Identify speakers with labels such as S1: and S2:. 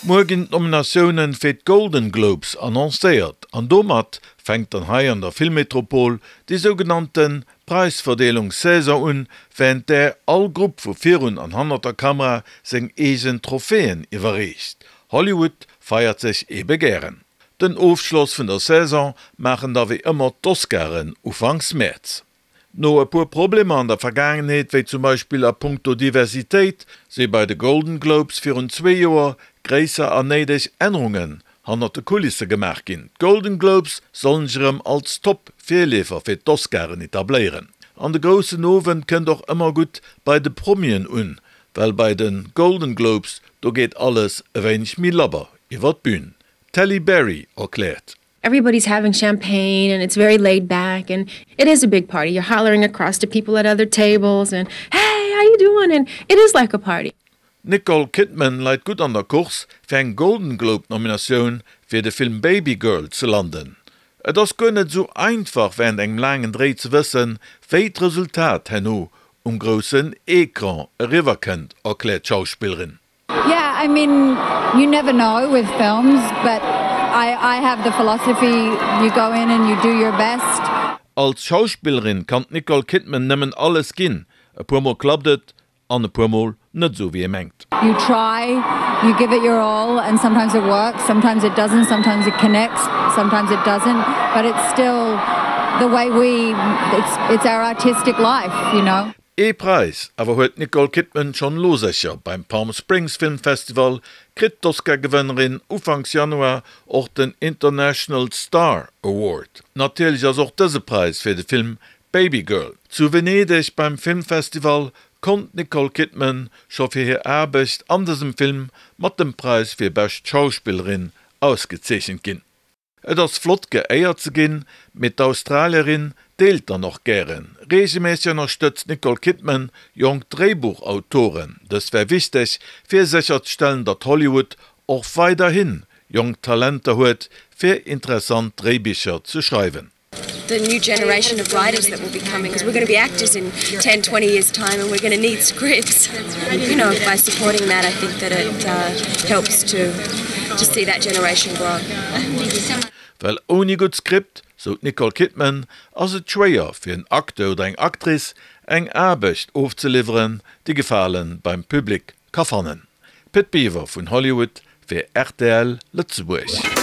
S1: Muer ginn d'Nominatioune fir d'Golden Globes annoncéiert an domat fänkt dann hei an der Filmmetropol déi sougenannte Präisverdeelungssaison un, wärend där all Grupp vu virun an hannert der Kamera seng eegen Trophäen iwwerreecht. Hollywood feiert sech ebe gären. Den Ofschloss vun der Saison maachen da wéi ëmmer d'Oscaren ufanks Mäerz. No e puer Problemer an der Vergaangenheet, wéi zum Beispill a punkto Diversitéit, si bei de Golden Globes virun zwee Joer gréisser an néideg Ännerungen hannert de Kulisse gemaach ginn. D'Golden Globes sollen sech erëm als Top-Virleefer fir d'Oscaren etabléieren. An de groussen Owend kënnt och ëmmer gutt bei de Promien un, well bei de Golden Globes, do geet alles e wéineg méi labber iwwer d'Bün. D'Halle Berry erkläert.
S2: Everybody's having champagne and it's very laid back and it is a big party. You're hollering across to people at other tables and hey, how you doing? And it is like a party.
S1: D'Nicole Kidman leit gutt an der Course fir eng Golden Globe Nominatioun fir de Film Babygirl ze landen. Et ass guer net esou einfach wärend engem laangen Dréi ze wëssen, wéi d'Resultat herno um groussen Ecran eriwwer kënnt, erkläert d'Schauspillerin.
S3: Yeah, I mean, you never know with films, but I, I have the philosophy, you go in and you do your best.
S1: Als Schauspillerin kann d'Nicole Kidman nëmmen alles ginn. E puer mol klappt et an e puer mol net esou wéi ee mengt.
S3: You try, you give it your all and sometimes it works, sometimes it doesn't, sometimes it connects, sometimes it doesn't, but it's still the way we, it's, it's our artistic life, you know.
S1: Ee Präis awer huet d'Nicole Kidman schonn elo sécher, Beim Palm Springs Film Festival kritt d'Oscar-Gewënnerin ufanks Januar och den International Star Award. Natierlech ass och dëse Präis fir de Film Babygirl. Zu Venedeg beim Filmfestival konnt d'Nicole Kidman scho fir hir Aarbecht an dësem Film mat dem Präis fir bescht Schauspillerin ausgezeechent ginn. Et ass flott geéiert ze ginn, mee d'Australierin deelt dann och gären. Reegelméisseg ënnerstëtzt d'Nicole Kidman jonk Dréibuchautoren. Dëst wär wichteg, fir sécherzestellen, datt Hollywood och weiderhi jonk Talenter huet, fir interessant Dréibicher ze schreiwen.
S2: The new generation of writers that will be coming, because we're gonna be actors in 10, 20 years time and we're gonna need scripts. You know, by supporting that I think that it helps to to see that generation grow.
S1: Well ouni gutt Skript, sou d'Nicole Kidman, ass et schwéier fir en Acteur oder eng Actrice eng Aarbecht ofzeliwweren, déi Gefale beim Public ka fannen. Pit Biwer vun Hollywood fir rtl Lëtzebuerg.